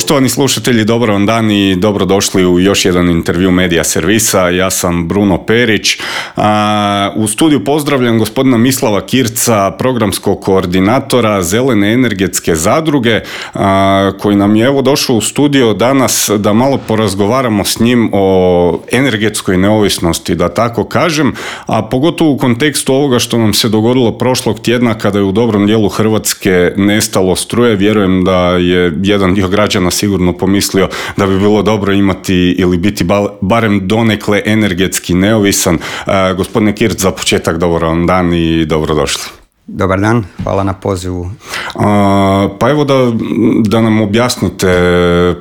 Poštovani slušatelji, dobar vam dan i dobrodošli u još jedan intervju Medija servisa. Ja sam Bruno Perić. U studiju pozdravljam gospodina Mislava Kirca, programskog koordinatora Zelene energetske zadruge, koji nam je došao u studio danas da malo porazgovaramo s njim o energetskoj neovisnosti, da tako kažem, a pogotovo u kontekstu ovoga što nam se dogodilo prošlog tjedna kada je u dobrom dijelu Hrvatske nestalo struje. Vjerujem da je jedan dio građana sigurno pomislio da bi bilo dobro imati ili biti barem donekle energetski neovisan. Gospodine Kirc, za početak dobar vam dan i dobrodošli. Dobar dan, hvala na pozivu. Pa evo da nam objasnite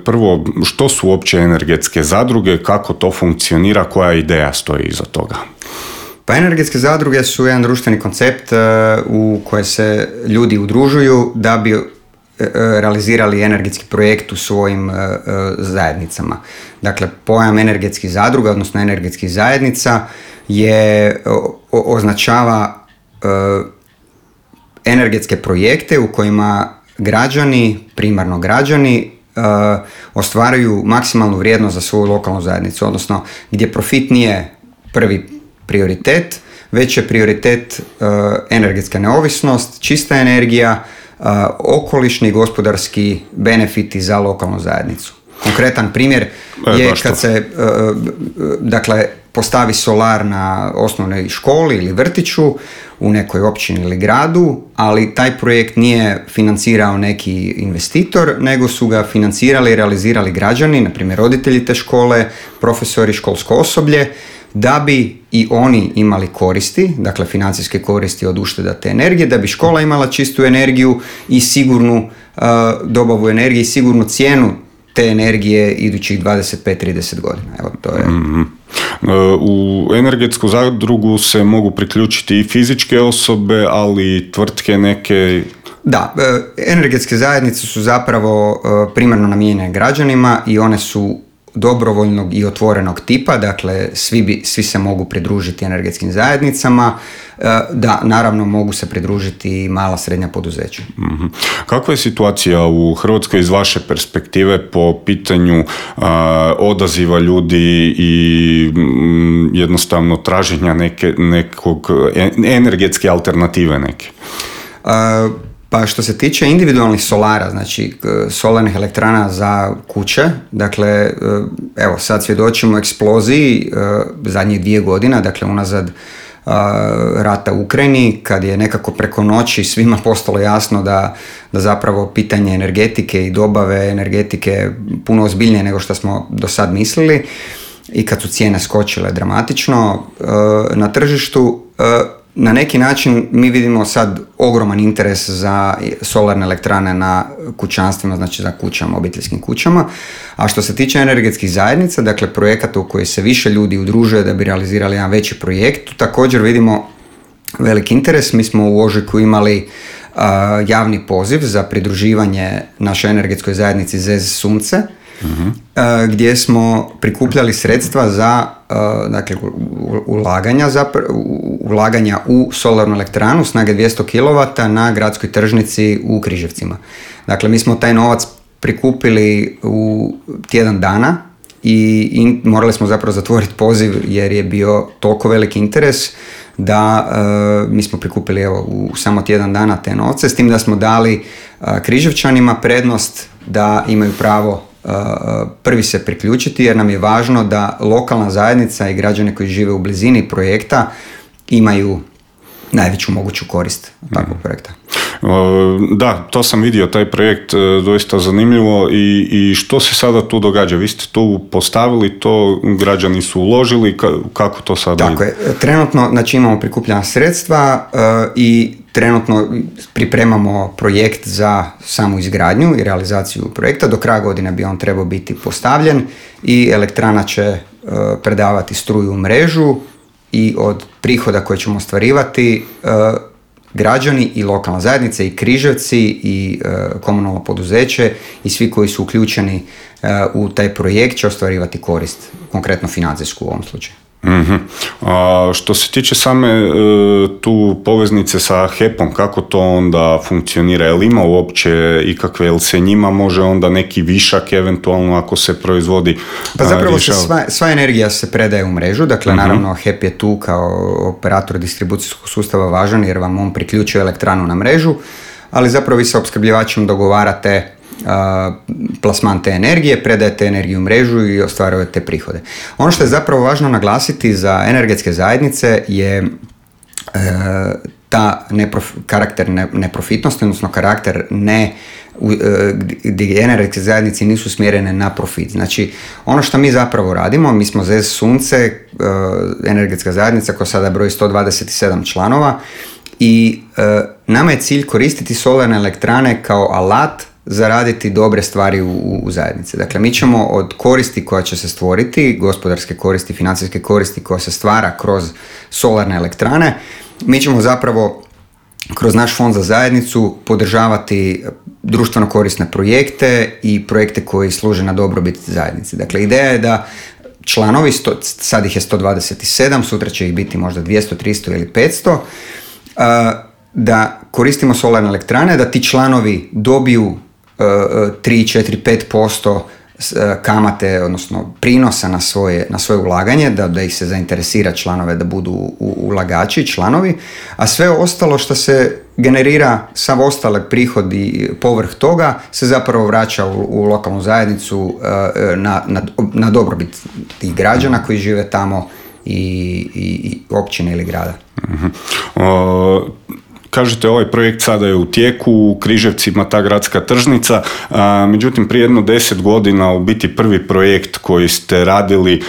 prvo što su uopće energetske zadruge, kako to funkcionira, koja ideja stoji iza toga. Pa energetske zadruge su jedan društveni koncept u koje se ljudi udružuju da bi realizirali energetski projekt u svojim zajednicama. Dakle, pojam energetskih zadruga, odnosno energetskih zajednica, označava energetske projekte u kojima građani, primarno građani, ostvaruju maksimalnu vrijednost za svoju lokalnu zajednicu, odnosno gdje profit nije prvi prioritet, već je prioritet energetska neovisnost, čista energija, okolišni i gospodarski benefiti za lokalnu zajednicu. Konkretan primjer je kad se postavi solar na osnovnoj školi ili vrtiću u nekoj općini ili gradu, ali taj projekt nije financirao neki investitor, nego su ga financirali i realizirali građani, na primjer roditelji te škole, profesori, školsko osoblje, da bi i oni imali koristi, dakle financijske koristi od ušteda te energije, da bi škola imala čistu energiju i sigurnu dobavu energije i sigurnu cijenu te energije idućih 25-30 godina. Evo, to je. U energetsku zadrugu se mogu priključiti i fizičke osobe, ali i tvrtke neke. Da, energetske zajednice su zapravo primarno namijenjene građanima i one su dobrovoljnog i otvorenog tipa, dakle svi se mogu pridružiti energetskim zajednicama, da naravno mogu se pridružiti i mala srednja poduzeća. Kakva je situacija u Hrvatskoj iz vaše perspektive po pitanju odaziva ljudi i jednostavno traženja nekog energetske alternative neke? Pa što se tiče individualnih solara, znači solarnih elektrana za kuće, dakle, evo sad svjedočimo eksploziji zadnjih 2 godine, dakle unazad rata u Ukrajini, kad je nekako preko noći svima postalo jasno da zapravo pitanje energetike i dobave energetike puno ozbiljnije nego što smo do sad mislili i kad su cijene skočile dramatično na tržištu. Na neki način mi vidimo sad ogroman interes za solarne elektrane na kućanstvima, znači za kućama, obiteljskim kućama. A što se tiče energetskih zajednica, dakle projekata u koji se više ljudi udružuje da bi realizirali jedan veći projekt, tu također vidimo veliki interes. Mi smo u ožujku imali javni poziv za pridruživanje našoj energetskoj zajednici ZEZ Sunce, gdje smo prikupljali sredstva za ulaganja u solarnu elektranu snage 200 kW na gradskoj tržnici u Križevcima. Dakle, mi smo taj novac prikupili u tjedan dana i morali smo zapravo zatvoriti poziv jer je bio toliko veliki interes da mi smo prikupili u samo tjedan dana te novce, s tim da smo dali Križevčanima prednost da imaju pravo prvi se priključiti, jer nam je važno da lokalna zajednica i građani koji žive u blizini projekta imaju najveću moguću korist takvog projekta. Da, to sam vidio, taj projekt doista zanimljivo i što se sada tu događa? Vi ste tu postavili to, građani su uložili, kako to sada ide? Tako je, trenutno znači, imamo prikupljena sredstva i trenutno pripremamo projekt za samu izgradnju i realizaciju projekta. Do kraja godine bi on trebao biti postavljen i elektrana će predavati struju u mrežu i od prihoda koje ćemo ostvarivati građani i lokalna zajednica i Križevci i komunalno poduzeće i svi koji su uključeni u taj projekt će ostvarivati korist, konkretno financijsku u ovom slučaju. Što se tiče same tu poveznice sa HEP-om, kako to onda funkcionira? Je li ima uopće ikakve, jel se njima može onda neki višak eventualno ako se proizvodi? Pa zapravo sva energija se predaje u mrežu, dakle naravno HEP je tu kao operator distribucijskog sustava važan jer vam on priključuje elektranu na mrežu, ali zapravo vi sa opskrbljivačem dogovarate plasman te energije, predajete energiju u mrežu i ostvarujete prihode. Ono što je zapravo važno naglasiti za energetske zajednice je ta karakter neprofitnosti, odnosno karakter gdje energetske zajednice nisu smjerene na profit. Znači, ono što mi zapravo radimo, mi smo ZES Sunce, energetska zajednica koja sada broji 127 članova i nama je cilj koristiti solarne elektrane kao alat zaraditi dobre stvari u zajednici. Dakle, mi ćemo od koristi koja će se stvoriti, gospodarske koristi, financijske koristi koja se stvara kroz solarne elektrane, mi ćemo zapravo kroz naš fond za zajednicu podržavati društveno korisne projekte i projekte koji služe na dobrobit zajednici. Dakle, ideja je da članovi, sad ih je 127, sutra će ih biti možda 200, 300 ili 500, da koristimo solarne elektrane, da ti članovi dobiju 3, 4, 5% kamate, odnosno prinosa na svoje ulaganje, da ih se zainteresira članove da budu ulagači, članovi, a sve ostalo što se generira, sav ostali prihodi povrh toga se zapravo vraća u lokalnu zajednicu na dobrobit tih građana koji žive tamo i općine ili grada. Kažete, ovaj projekt sada je u tijeku, u Križevcima ta gradska tržnica, međutim prije 10 godina u biti prvi projekt koji ste radili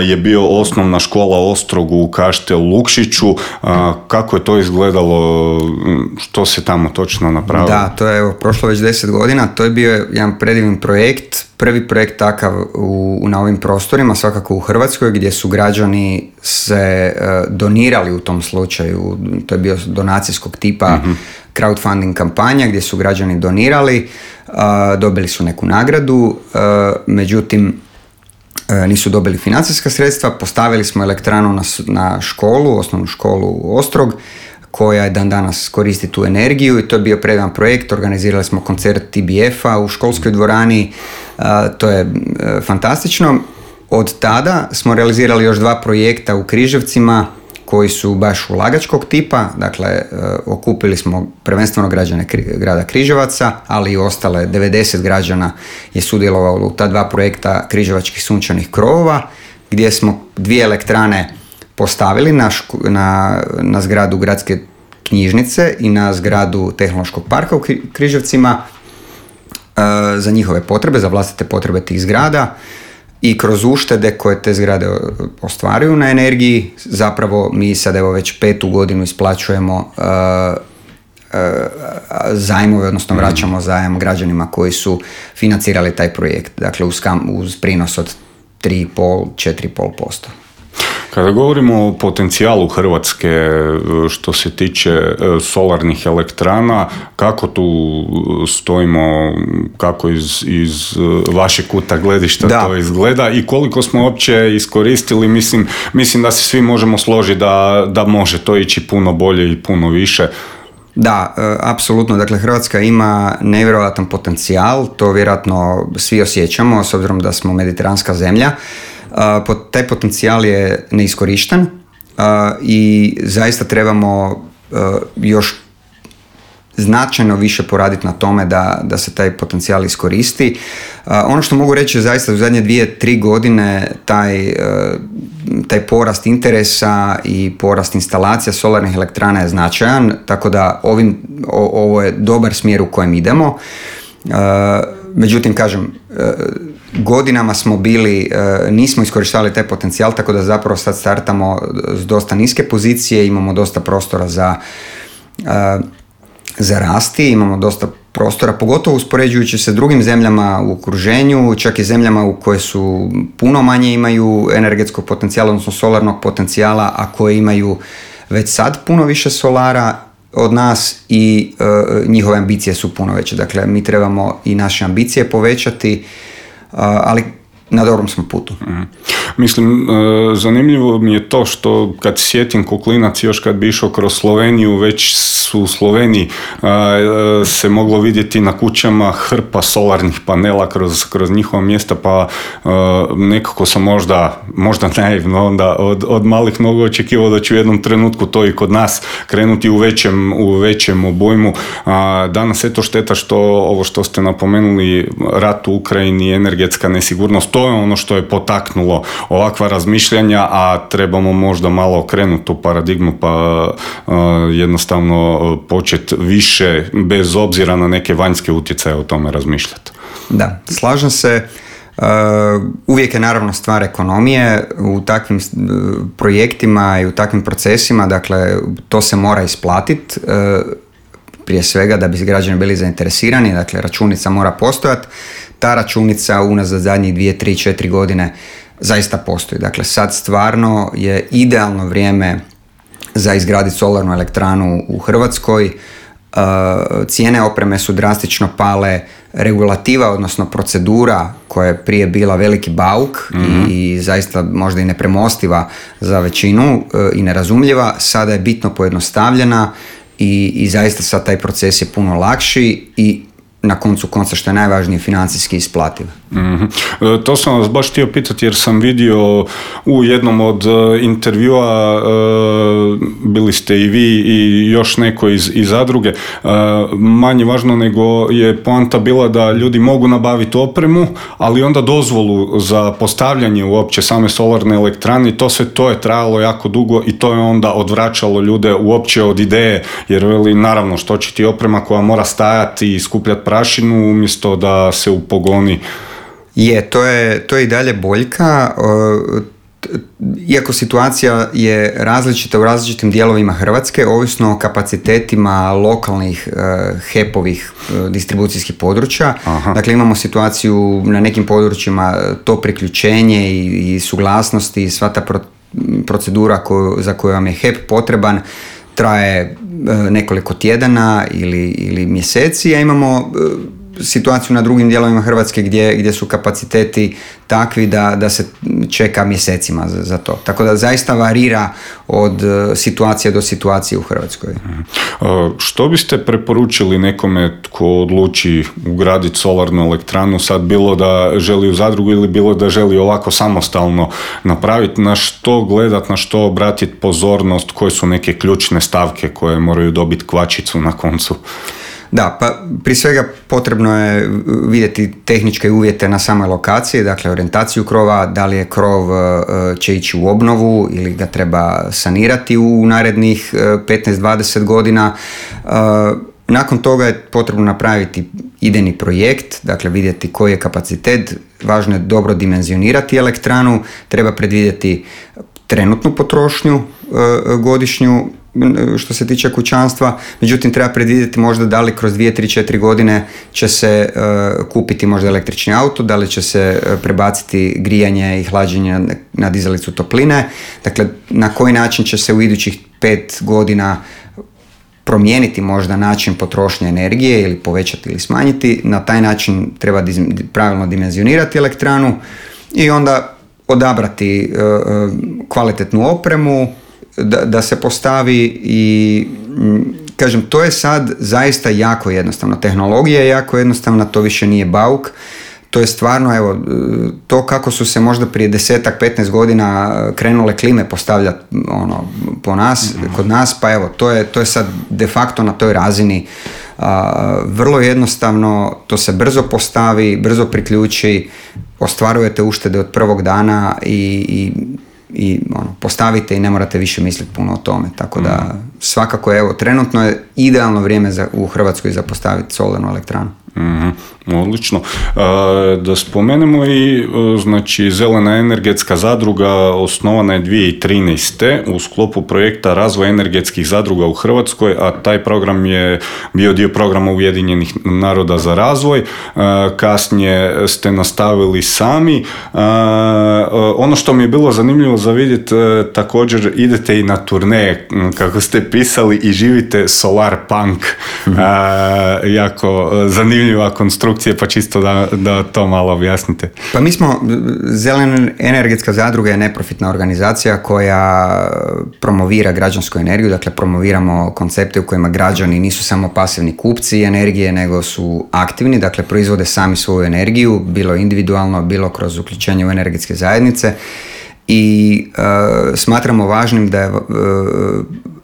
je bio osnovna škola Ostrog u Kaštelu Lukšiću. Kako je to izgledalo, što se tamo točno napravilo? Da, to je prošlo već 10 godina, to je bio jedan predivan projekt, prvi projekt takav na ovim prostorima, svakako u Hrvatskoj, gdje su građani se donirali u tom slučaju, to je bio donacijskog tipa crowdfunding kampanja gdje su građani donirali, dobili su neku nagradu, međutim nisu dobili financijska sredstva, postavili smo elektranu na školu, osnovnu školu Ostrog, koja je dan danas koristi tu energiju i to je bio predivan projekt. Organizirali smo koncert TBF-a u školskoj dvorani, to je fantastično. Od tada smo realizirali još 2 projekta u Križevcima koji su baš ulagačkog tipa, dakle okupili smo prvenstveno građane grada Križevaca, ali i ostale 90 građana je sudjelovalo u ta 2 projekta križevačkih sunčanih krovova, gdje smo 2 elektrane postavili na zgradu gradske knjižnice i na zgradu tehnološkog parka u Križevcima za njihove potrebe, za vlastite potrebe tih zgrada i kroz uštede koje te zgrade ostvaruju na energiji, zapravo mi sad evo već 5. godinu isplaćujemo zajmove, odnosno vraćamo zajam građanima koji su financirali taj projekt, dakle uz prinos od 3,5-4,5%. Kada govorimo o potencijalu Hrvatske što se tiče solarnih elektrana, kako tu stojimo, kako iz vašeg kuta gledišta to izgleda i koliko smo uopće iskoristili, mislim da se svi možemo složiti da može to ići puno bolje i puno više. Da, apsolutno. Dakle, Hrvatska ima nevjerojatan potencijal, to vjerojatno svi osjećamo, s obzirom da smo mediteranska zemlja. Taj potencijal je neiskorišten i zaista trebamo još značajno više poraditi na tome da se taj potencijal iskoristi. Ono što mogu reći je zaista u zadnje 2-3 godine taj porast interesa i porast instalacija solarnih elektrana je značajan, tako da ovo je dobar smjer u kojem idemo. Međutim, kažem, godinama smo nismo iskorištavali taj potencijal, tako da zapravo sad startamo s dosta niske pozicije, imamo dosta prostora za rasti, imamo dosta prostora, pogotovo uspoređujući se drugim zemljama u okruženju, čak i zemljama u koje su puno manje imaju energetskog potencijala, odnosno solarnog potencijala, a koje imaju već sad puno više solara od nas i njihove ambicije su puno veće. Dakle, mi trebamo i naše ambicije povećati, ali na dobrom smo putu. Mislim, zanimljivo mi je to što kad sjetim ko klinac, još kad bi išao kroz Sloveniju, već su u Sloveniji se moglo vidjeti na kućama hrpa solarnih panela kroz njihova mjesta, pa nekako sam možda naivno onda od malih nogu očekivao da će u jednom trenutku to i kod nas krenuti u većem obujmu. Danas eto šteta što ovo što ste napomenuli, rat u Ukrajini, energetska nesigurnost, to je ono što je potaknulo ovakva razmišljanja, a trebamo možda malo okrenuti tu paradigmu pa jednostavno početi više bez obzira na neke vanjske utjecaje o tome razmišljati. Da, slažem se. Uvijek je naravno stvar ekonomije u takvim projektima i u takvim procesima, dakle to se mora isplatiti prije svega da bi građani bili zainteresirani, dakle računica mora postojati. Ta računica unazad zadnjih 2, 3, 4 godine zaista postoji. Dakle sad stvarno je idealno vrijeme za izgraditi solarnu elektranu u Hrvatskoj. Cijene opreme su drastično pale, regulativa, odnosno procedura koja je prije bila veliki bauk i zaista možda i nepremostiva za većinu i nerazumljiva, sada je bitno pojednostavljena i zaista sad taj proces je puno lakši i na koncu konca, što je najvažnije, financijski isplativ. To sam vas baš htio pitati jer sam vidio u jednom od intervjua, bili ste i vi i još neko iz zadruge, manje važno nego je poanta bila da ljudi mogu nabaviti opremu, ali onda dozvolu za postavljanje uopće same solarne elektrane, to je trajalo jako dugo i to je onda odvraćalo ljude uopće od ideje, jer naravno što će ti oprema koja mora stajati i skupljati prašinu umjesto da se upogoni. To je i dalje boljka, iako situacija je različita u različitim dijelovima Hrvatske, ovisno o kapacitetima lokalnih HEP-ovih distribucijskih područja. Aha. Dakle, imamo situaciju na nekim područjima, to priključenje i suglasnosti i sva ta procedura za koju vam je HEP potreban traje nekoliko tjedana ili mjeseci, a imamo situaciju na drugim dijelovima Hrvatske gdje su kapaciteti takvi da se čeka mjesecima za to. Tako da zaista varira od situacije do situacije u Hrvatskoj. Što biste preporučili nekome tko odluči ugraditi solarnu elektranu, sad bilo da želi u zadrugu ili bilo da želi ovako samostalno napraviti, na što gledat, na što obratiti pozornost, koje su neke ključne stavke koje moraju dobiti kvačicu na koncu? Da, pa prije svega potrebno je vidjeti tehničke uvjete na samoj lokaciji, dakle orijentaciju krova, da li je krov će ići u obnovu ili ga treba sanirati u narednih 15-20 godina. Nakon toga je potrebno napraviti idejni projekt, dakle vidjeti koji je kapacitet, važno je dobro dimenzionirati elektranu, treba predvidjeti trenutnu potrošnju godišnju što se tiče kućanstva, međutim treba predvidjeti možda da li kroz 2, 3, 4 godine će se kupiti možda električni auto, da li će se prebaciti grijanje i hlađenje na dizalicu topline, dakle na koji način će se u idućih 5 godina promijeniti možda način potrošnje energije ili povećati ili smanjiti, na taj način treba pravilno dimenzionirati elektranu i onda odabrati kvalitetnu opremu da se postavi i kažem, to je sad zaista jako jednostavno. Tehnologija je jako jednostavna, to više nije bauk. To je stvarno, evo, to kako su se možda prije 10-15 godina krenule klime postavljati kod nas, pa evo, to je sad de facto na toj razini. Vrlo jednostavno, to se brzo postavi, brzo priključi, ostvarujete uštede od prvog dana i postavite i ne morate više misliti puno o tome. Tako da svakako, evo, trenutno je idealno vrijeme u Hrvatskoj za postaviti solarnu elektranu. Odlično. Da spomenemo i, znači, Zelena energetska zadruga osnovana je 2013. u sklopu projekta Razvoj energetskih zadruga u Hrvatskoj, a taj program je bio dio programa Ujedinjenih naroda za razvoj. Kasnije ste nastavili sami. Ono što mi je bilo zanimljivo za vidjeti, također idete i na turneje, kako ste pisali, i živite solar punk. Jako zanimljivo zanimljiva konstrukcija, pa čisto da to malo objasnite. Pa mi smo, Zelena energetska zadruga je neprofitna organizacija koja promovira građansku energiju, dakle promoviramo koncepte u kojima građani nisu samo pasivni kupci energije, nego su aktivni, dakle proizvode sami svoju energiju, bilo individualno, bilo kroz uključenje u energetske zajednice. I smatramo važnim da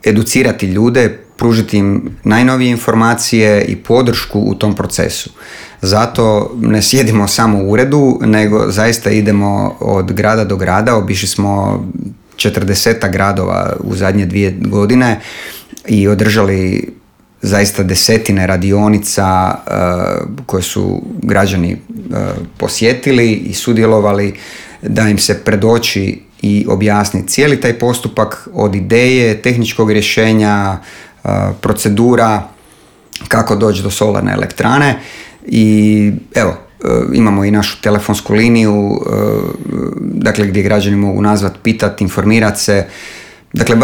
educirati ljude, pružiti im najnovije informacije i podršku u tom procesu. Zato ne sjedimo samo u uredu, nego zaista idemo od grada do grada. Obišli smo 40 gradova u zadnje 2 godine i održali zaista desetine radionica koje su građani posjetili i sudjelovali, da im se predoči i objasni cijeli taj postupak od ideje, tehničkog rješenja, procedura, kako doći do solarne elektrane. I evo, imamo i našu telefonsku liniju, dakle gdje građani mogu nazvati, pitati, informirati se. Dakle,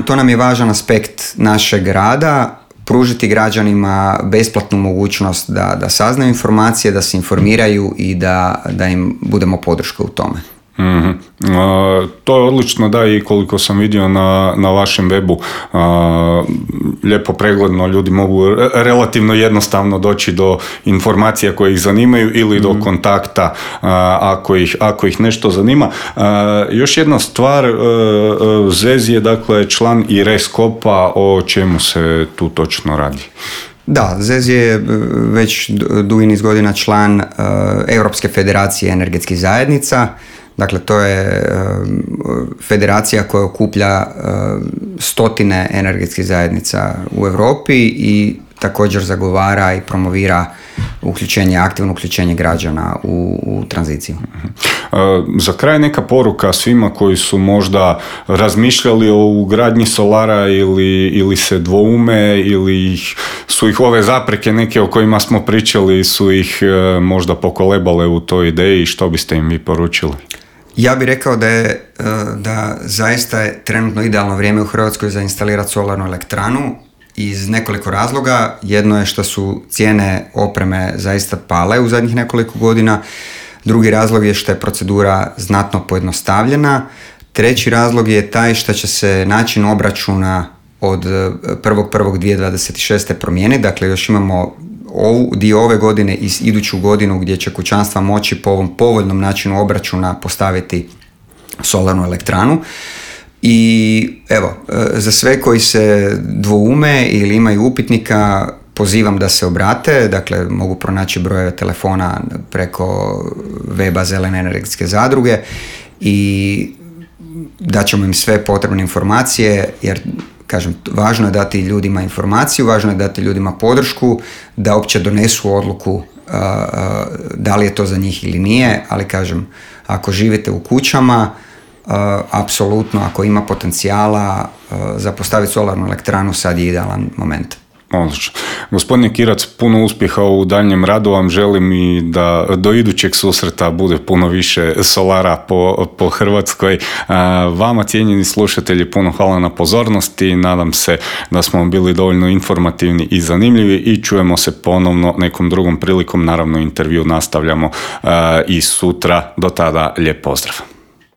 to nam je važan aspekt našeg rada, pružiti građanima besplatnu mogućnost da saznaju informacije, da se informiraju i da im budemo podrška u tome. Mm-hmm. To je odlično, da, i koliko sam vidio na vašem webu, lijepo pregledno, ljudi mogu relativno jednostavno doći do informacija koje ih zanimaju ili do kontakta ako ih nešto zanima. Još jedna stvar, Zez je dakle član i Reskopa, o čemu se tu točno radi? Da, Zez je već dugi niz godina član Europske federacije energetskih zajednica. Dakle, to je federacija koja okuplja stotine energetskih zajednica u Europi i također zagovara i promovira aktivno uključenje građana u tranziciju. Za kraj neka poruka svima koji su možda razmišljali o ugradnji solara ili se dvoume ili su ih ove zapreke neke o kojima smo pričali su ih možda pokolebale u toj ideji, što biste im vi poručili? Ja bih rekao da zaista je trenutno idealno vrijeme u Hrvatskoj za instalirati solarnu elektranu iz nekoliko razloga. Jedno je što su cijene opreme zaista pale u zadnjih nekoliko godina. Drugi razlog je što je procedura znatno pojednostavljena. Treći razlog je taj što će se način obračuna od 1.1.2026. promijeniti. Dakle, još imamo dio ove godine i iduću godinu gdje će kućanstva moći po ovom povoljnom načinu obračuna postaviti solarnu elektranu. I evo, za sve koji se dvoume ili imaju upitnika, pozivam da se obrate, dakle mogu pronaći brojeve telefona preko weba Zelene energetske zadruge i daćemo im sve potrebne informacije, jer kažem, važno je dati ljudima informaciju, važno je dati ljudima podršku da uopće donesu odluku da li je to za njih ili nije, ali kažem, ako živite u kućama, apsolutno, ako ima potencijala za postaviti solarnu elektranu, sad je idealan moment. Odlično. Gospodine Kirac, puno uspjeha u daljnjem radu vam želim i da do idućeg susreta bude puno više solara po Hrvatskoj. Vama, cijenjeni slušatelji, puno hvala na pozornosti. Nadam se da smo bili dovoljno informativni i zanimljivi i čujemo se ponovno nekom drugom prilikom. Naravno, intervju nastavljamo i sutra. Do tada, lijep pozdrav.